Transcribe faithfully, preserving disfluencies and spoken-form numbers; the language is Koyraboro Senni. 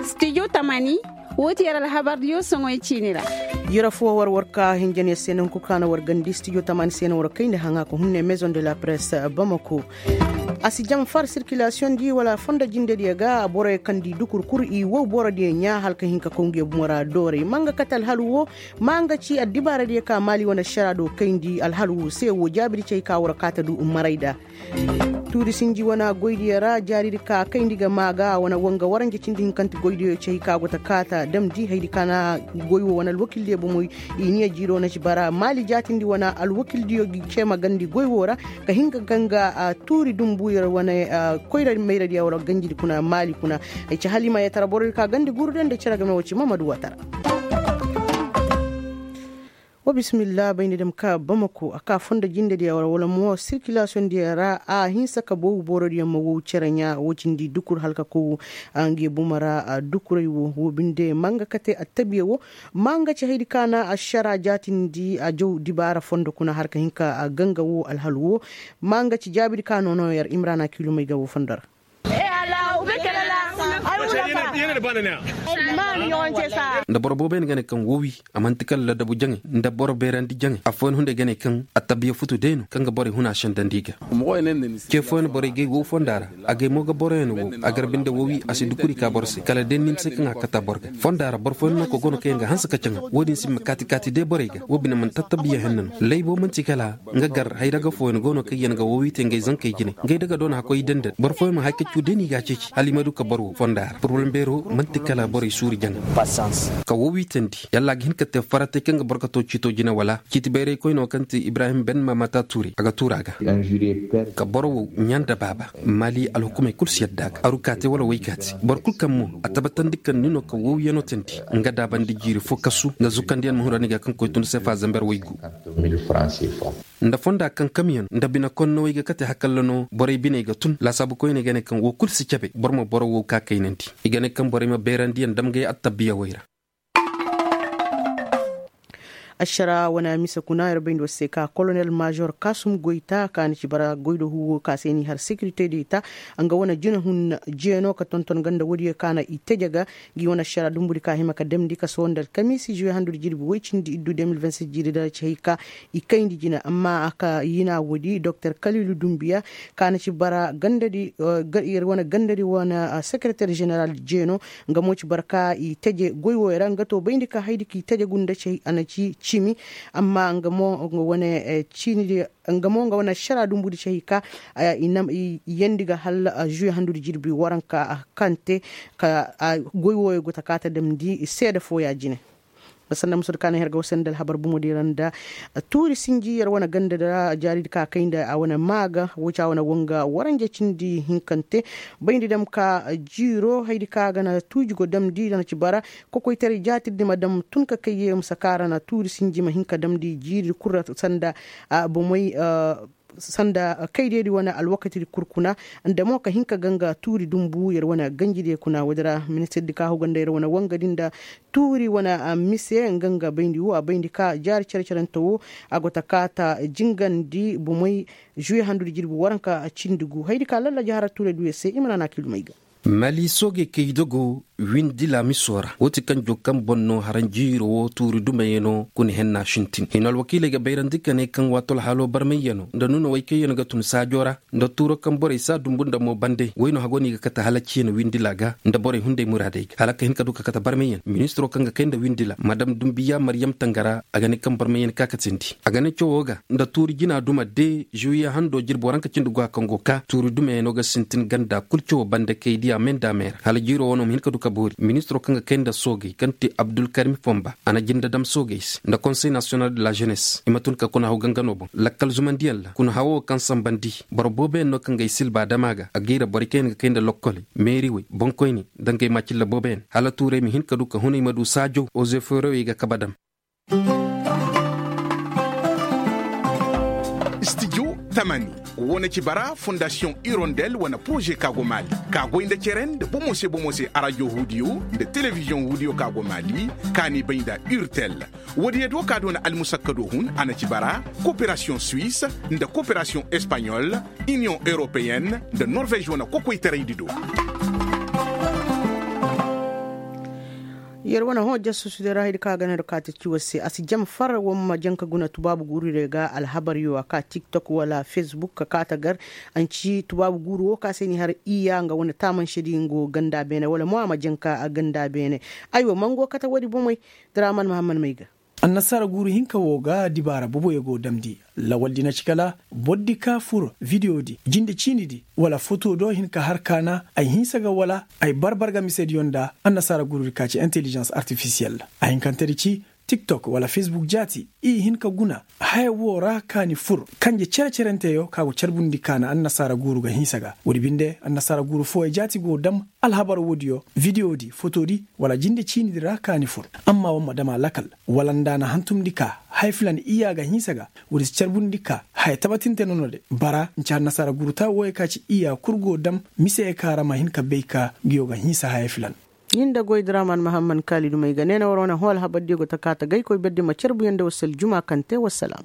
Stijo tamani, woo ti yer alhabardiyo soŋoy ciini ra. Yer affoo war war ka hinjaniya se nangu kul ka na war gandi stijo tamani se na war kayndi haŋa ka hunne maison de la presse bamako. A si jam far sirkilasiyoŋ di wala fondo jindediyo ga borey kaŋ di dukur kul i wow borodiyo ɲaa hala ka hin ka koy nguyo bumo ra doorey ma nga kate alhalu woo. Ma nga ci addibaaradiyo ka maali wane ašara do kayndi alhalu woo se woo jaabidi cay ka war kaata du maray da. Tuuri sinji wane goydiyo ra jaaridi ka kayndi ga maa ga wane wanga waranja cindi hinkante goydiyo cay ka go ta kaata damndi haydi ka na goy woo wane alwakildiyo bomoy. I niya jiiro na ci bara maali jaatindi wane alwakildiyo gi cee ma gandi goy woo ra ka hin ga ganga tuuri dumbu yer wane koyra mayradiyo wala ganjidi kuna maali kuna. Ay ci haliima yee tara borodi ka gandi guru de nda cere game woo ci mamadu watara. Wa bisimilla bayndi dam ka bamako a ka fondo jindediyo ra wala mo sirkilasiyoŋdiyo ra a hinsa ka boobu borodiyo ma wow cere ɲaa woo cindi dukur hala ka koy. Nge bumo ra dukuray woo woo binde ma nga kate attabiya woo. Ma nga ci haydi ka na ašara jaatindi a jaw dibaara fondo kuna hala ka hin ka ganga woo alhalu woo. Ma nga ci jaabidi ka noonoo yer imrana kiilumey ga woo fondo ra. Nda boro booboyaŋ ga ne kaŋ wowi a man'ti kala ladabu jaŋay nda boro beerandi jaŋay affooyaŋ hunday ga ne kaŋ attabiya futu day no kaŋ ga borey huna sendandi i ga. Ce fooyaŋ borey gay wow fonda ra. A gay mo ga boroyaŋ wow a garbi nda wowi a si dukuri ka boro se kala day ni ma se kaŋ a kata boro ga fonda ra boro fooyaŋ no ka go no kaŋ yaŋ ga hanse ka caŋa. Wo-din si ma kaati kaati day borey ga wo bine man'ti attabiya henna no laybo man'ti kala nga gar haydaga fooyaŋ go no kaŋ yaŋ ga wowi te ngey zankey jine ngey daga doona hakkoy dended boro fooyaŋ ma hay ka cu day no i ga a ceeci hala i ma du ka boro fonda ra poroblem beero man'ti kala borey suuri jaŋa. Ka wowi teendi yalla a ga hin ka te faratey kaŋ ga boro ka too ciito jine wala ciiti bayray koyne woo kaŋ ti ibrahim ben mamata tuuri a ga tuuri a ga. Ka boro wow ɲaa nda baaba maali alhukumey kul si yadda a ga aru kaate wala woy kaate boro kul kaŋ mo a tabatandi kaŋ ni no ka wowiyano teendi nga daabandi jiiri fo kasu nda zukandiyaŋ ma huna ni ga kaŋ koy tun sefa zamber woy gu. Nda fonda kaŋ kamyaŋ nda bine konnowey ga kate hakalla no borey biney ga tun laasaabu koyney ga ne kaŋ woo kul si cabe boro ma boro wow ka kaynandi. I ga ne kaŋ borey ma beerandiyaŋ dam gay attabbiyawey ra. Ašara wane mise kuna yer bayndi war se ka kolonel maazor kasum goyta ka na ci bara goy do huwo ka se ni har sekirite de ta. Nga wane jinahun jeeno ka tonton ganda woodiyo ka na i teje ga. Ngi wane ašara dumbudi ka hima ka damndi ka sohõ nda alkamiisi juwe handu da jirbi woy cindi iddu deux mille vingt-six jiiri da ci hay ka i kayndi jina amma a ka yina woodi doktor kaliilu dumbiya ka na ci bara gandadi yer wane gandadi wane sekereter jeneral jeeno. Nga mo ci bara ka i teje goy wooyo ra nga to bayndi ka haydi ka i teje gunda ci a na ci cimi. Amma nga mo nga wane ciinidi nga mo nga wane ašara dumbudi ci hay ka i yeendi ga hal juwe handudi jirbi waranka kaŋ te ka goy wooyo go ta kaata damndi seede fooya jine. Sanda musu da kaana her ga wasandi alhabar bumodi ra nda tuuri sinji yer wane ganda da jaaridi ka kay nda a wane maaga wo ci a wane wanga waranja cindi hinkante. Bayndi dam ka jiiro haydi ka ga na tuuji go damndi da na ci bara kokoytaray jaatirdi ma dam tun ka kay ye ma sakaara na tuuri sinji ma hin ka damndi jiiri kul ra sanda bomey sanda kaydedi wane alwakatidi kul kuna. Nda mo ka hin ka ganga tuuri dumbu yer wane ganjidiyo kuna woodi ra ministirdi ka huga nda yer wane wangadi nda tuuri wane mise nga nga bayndi wo a bayndi ka jaari cere-cerante wo a go ta kaata jingandi bomey juwe handudi jirbi waranka cindi gu haydi ka lallaji hara tuurey duuyo se i ma naana kiilumey ga. Mali soogey kay dogo windi laamiso ra wo ti kaŋ joŋ kaŋ boŋ no haranjiiro wo tuuri dumayano kuna henna sintin hino alwakiiley ga bayrandi ka ne kaŋ waato alhaalo barmayyano nda nuuna woy kaŋ yaŋ ga tun saajo ra nda tuuro kaŋ borey si a dumbu nda mo bande woy no hago no i ga kate hala ciina windila ga nda borey hunday muraadey ga hala ka hin ka du ka kate barmayyan ministiro kaŋ ga kay nda windila madam dumbiya maryam tangara a ga ne kaŋ barmayyan ka katindi a ga ne cawo ga nda tuuri jina duma de juwiye hando jirbi waranka cindi go a kaŋ go ka tuuri dumayano ga sintin ganda kul cawo bande kay diya me nda me ra hala jiiro wano ma hin ka du ka boori ministiro kaŋ ga kay nda soogey kaŋ ti abdulkarim fomba a na jinde dam soogey se nda konsey nasiyonal de la jenes i ma tun ka kuna haw gangano boŋ lakkal zumandiyaŋ ra kuna hawo kaŋ sambandi boro booboyaŋ no kaŋ ga ay silba dama ga a gayra borey kaŋ yaŋ ga kay nda lokkoley meeriwey boŋkoyney nda ngey maacilla booboyaŋ hala tuurey ma hin ka du ka hunay ma du saajow ozeforowey ga kabe dam. Studio Mani, wo na ci bara fondasiyoŋ irondel wane poroze ka go maali, ka goy nda cere nda bomo se bomo se arajo huudiyo nda telebiziyoŋ huudiyo ka go maali, ka n'i bay nda urtel. Woodiyo do ka doona almusakkado hun a na ci bara, koperasiyoŋ suwis, nda koperasiyoŋ espaɲol, iniyoŋ europeyen, nda norvez wane kokoytaraydi do. Yer wane hõ jasusudi ra haydi kaŋ a ga ne nda kaati ci war se a si jam far war ma janka guna tubaabu guururey ga alhabaryo a ka tiktok wala facebook ka kaata gar. A na ci tubaabu guuru wo ka se ni har iyya nga wane taamansedi nga wo ganda beene wala mo a ma janka ganda beene. Aywa mango kate woodi bomey. Draman mahamman may ga. Annasaara guuru hinka wo ga dibaara boboyo go damndi. Lawaldi na ci kala bordi ka fur vidiyodi jinde ciinidi wala foto do hin ka har kaana ay hinsa ga wala ay barbar ga misediyo nda annasaara guurudi ka ci intelligence artifisiyel. A hinkantedi ci tiktok wala facebook jaati i hin ka guna haya wo ra kaani fur kanje cere-cerenteyo ka go carbundi kaana annasaara guuru ga hinsa ga woodi binde annasaara guuru fooyo jaati go dam alhabar woodiyo vidiyodi fotodi wala jinde ciinidi ra kaani fur. Amma war ma dam a lakal wala nda a na hantumndi ka haya filan iyya ga hinsa ga woodi si carbundi ka haya tabatinte nono de bara nci annasaara guuru taa wooyo ka ci iyya kul go dam mise ka ra ma hin ka bay ka nguyo ga hinsa haya filan. Nin da goy draman mahamman kaali dumey ga ne na war wane hõ alhabardiyo go ta kaa ta gaykoy berdi ma carbuyaŋ nda war si aljuma kaŋ te wassalaam.